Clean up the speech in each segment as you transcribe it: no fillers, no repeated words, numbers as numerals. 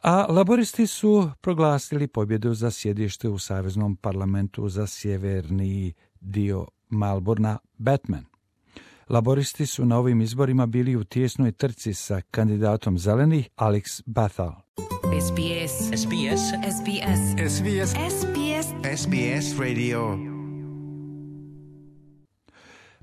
A laboristi su proglasili pobjedu za sjedište u Saveznom parlamentu za sjeverni dio Melbourna, Batman. Laboristi su na ovim izborima bili u tijesnoj trci sa kandidatom zelenih Alex Bethel. SBS. SBS. SBS. SBS. SBS. SBS Radio.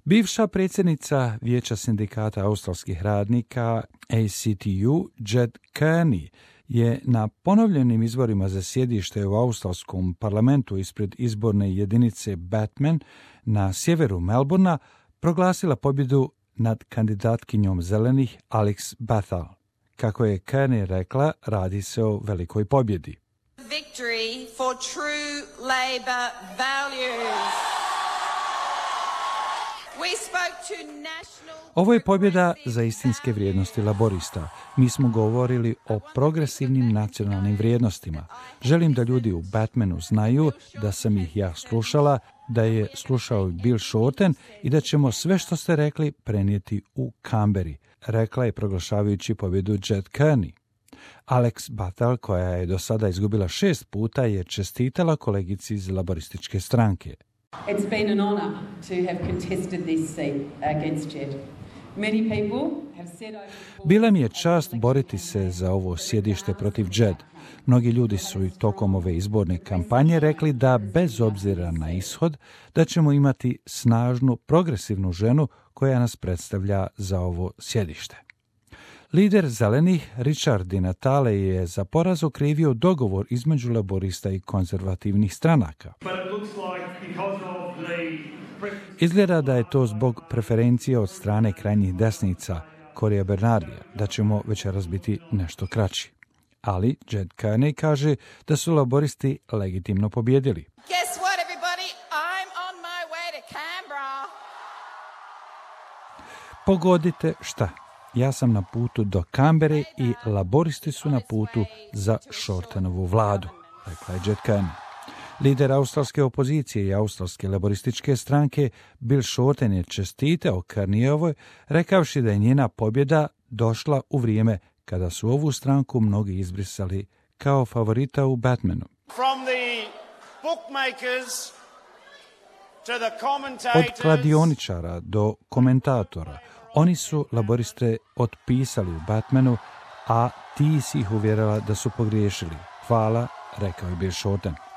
Bivša predsjednica Vijeća sindikata australskih radnika ACTU, Jed Kearney, je na ponovljenim izborima za sjedište u australskom parlamentu ispred izborne jedinice Batman na sjeveru Melbourna proglasila pobjedu nad kandidatkinjom zelenih Alex Bethel. Kako je Kearney rekla, radi se o velikoj pobjedi. Victory for true Labor values. We spoke to national... Ovo je pobjeda za istinske vrijednosti laborista. Mi smo govorili o progresivnim nacionalnim vrijednostima. Želim da ljudi u Batmanu znaju da sam ih ja slušala, da je slušao Bill Shorten i da ćemo sve što ste rekli prenijeti u Canberri, rekla je proglašavajući pobjedu Jed Kearney. Alex Bethel, koja je do sada izgubila 6 puta, je čestitala kolegici iz laborističke stranke. It's been an honor to have contested this seat against Jed. Many people have said Bila mi je čast boriti se za ovo sjedište protiv Jed. Mnogi ljudi su i tokom ove izborne kampanje rekli da bez obzira na ishod da ćemo imati snažnu, progresivnu ženu koja nas predstavlja za ovo sjedište. Lider zelenih Richard Di Natale je za poraz okrivio dogovor između laborista i konzervativnih stranaka. Izgleda da je to zbog preferencije od strane krajnjih desnica, Corija Bernardija, da ćemo večeras biti nešto kraći. Ali Jed Kearney kaže da su laboristi legitimno pobjedili. Guess what, everybody? I'm on my way to Canberra. Pogodite šta? Ja sam na putu do Canberre i laboristi su na putu za Shortenovu vladu, rekla je Jed Kearney. Lider australske opozicije i australske laborističke stranke Bill Shorten je čestitao Kearneyovoj, rekavši da je njena pobjeda došla u vrijeme kada su ovu stranku mnogi izbrisali kao favorita u Batmanu. Od kladioničara do komentatora, oni su laboriste otpisali u Batmanu, a ti si ih uvjerila da su pogriješili. Hvala, rekao je Bill Shorten.